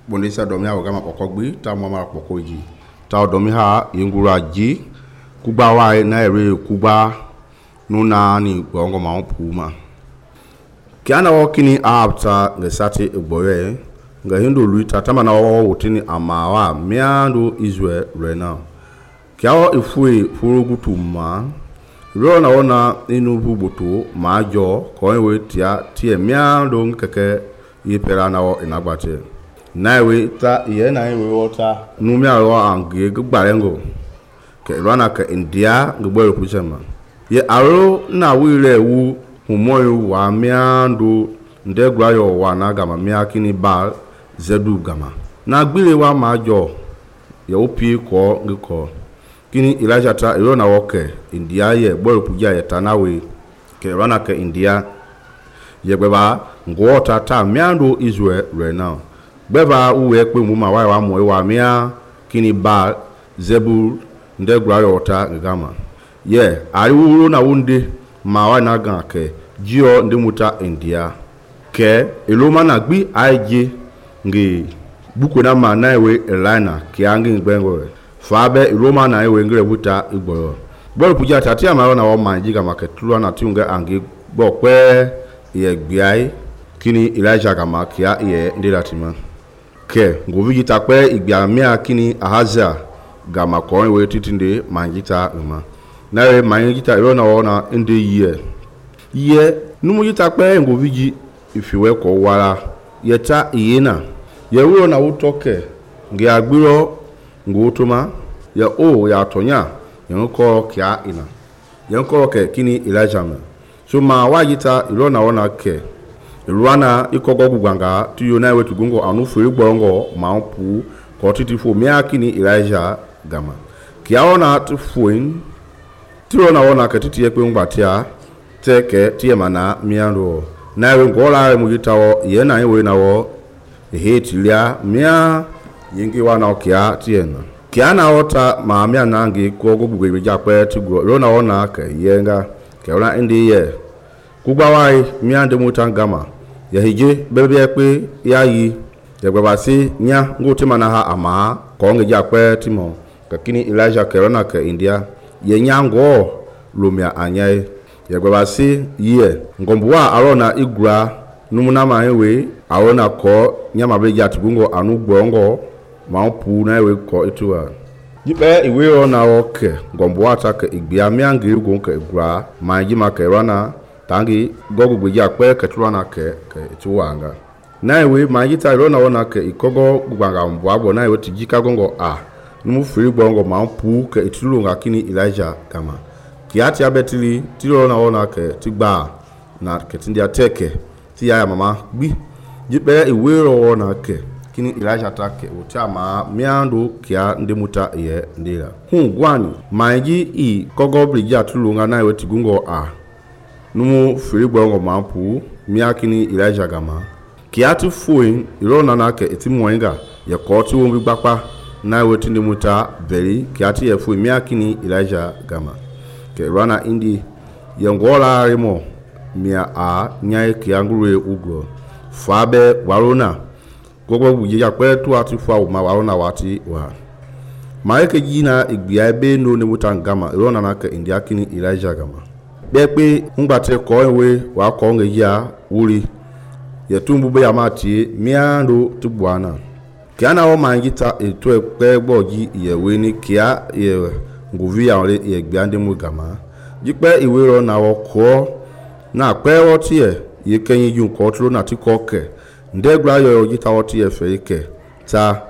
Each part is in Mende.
bondesa domi ha gama pokogbi ta mama pokoji ta domi ha yengura ji kuba wa na ere kuba nuna ni gongo ma puma kiana wakini apta ngesati egboye nga hindu luita tamana wa wotini amawa miando Israel rena kiao ifue furugutuma rona ona inu bubutu majo kowe tie miando nkeke yipera na wo inagbate naiwe ta ye naiwe wota numia ro ange gbarengo ke rana ke India gboro kuchema ye aro na wire wu humoyo wa miando ndegrayo wa na gama miakini ba zedu gama na gbire wa majo ye opi ko ngiko kini Elijah ta rona woke India ye gboro puja ye tanawe ke rana ke India ye gbeba ngota ta miando Israel rena beba uwe pe mu ma wa mo wa mia kini ba zebul ndegrayo ta gama ye ari wuro na wunde ma wa na gan ke jio ndimuta India ke eloma na gbi aije ngi buko na ma na ewe elina ki angi ngbengo fabe eloma na ewe ngre buta igboro bol puja tati ama na wa manji gama ke tulu na tiunga angi gbo pe ye gbiai kini Elijah gama kia ye ndilatima ke ngovi jita pe igbia mia kini Ahazia gama ko we titinde manjita uma nawe manjita irona ona inde ye numu jita pe ngovi ji ifiwe ko wala yeta iyena ye wo na utoke ngi agbiro ngotoma ya ya tonya yenko kia ina yenko ke kini Elijah ma so ma wajita irona ona ke Ruana ikogo guganga tuyo na wetu gungo anu furi gbongo mapu ko titifo miakini Elijah gama kiaona tufuin tiro na wona ke titiye pe ngbatia teke tie mana miando na we ngola mu yitawo ye na we na wo hetilia mia yingi wana kia tiena kiana ota ma mia nangi ko gugwe jakwe tugo rona wona ke yenga ke ona ndi ye kugbawa miande mutangama ya hije bebe pe yayi ya gbabasi nya ngote mana ha ama ko nge jakwe timo kakini Elijah kerona ke India ye nyango lumia anyai ya gbabasi ye ngombuwa arona igura numuna ma ewe arona ko nyama be jatubungo anu gbongo ma pu na ewe ko ituwa jipe iwe ona oke ngombuwa ta ke igbia miangi ugo ke igura ma jima kerona tangi gogo gbeja pe ketulana ke tuwanga naiwe majita rona wona ke ikogo gbanga mbwabo naiwe tijika gongo numu free bongo mampu ke itulunga kini Elijah kama kiati abetili tilona wona ke tigba na ke tindia teke ti ya mama bi jipe iwero wona ke kini Elijah take utama miando kia ndimuta ye ndira gwani maji kogo brija tulunga naiwe tigungo numu firi gbongo mampu miakini Elijah gama kiatu fuin irona nake etimwenga ya koti wombi gbapa na wetinde muta veri kiati ya fuin miakini Elijah gama ke rana indi yengola rimo mia nyai kiangure ugro fabe warona gogo buje ya kwetu atifa uma warona wati wa maeke jina igbia be no ne muta gama irona nake indiakini Elijah gama bepe ngbate ko ewe wa ko nge ya wuri ya tumbu be amati miando tubwana kiana o mangita eto epe gboji yewe ni kia ye nguvi ya ole ye gbiande mu gama jipe iwero na wo ko na pe wo tie ye kenyin ju ko tro na ti ko ke ndegra yo jita wo tie fe ke ta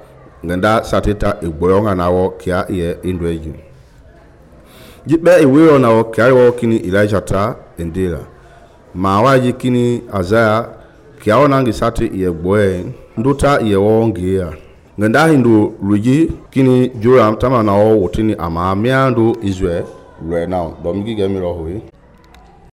ngenda sateta egboyo na wo kia ye indweju jipe iwe ona o kini Elijah ta endela ma waji kini Azaya kiaona ngisati ye gboe nduta ye wonge ya ngenda hindu ruji kini Joram tama na o wotini ama miando Israel right now domigi gemiro hoyi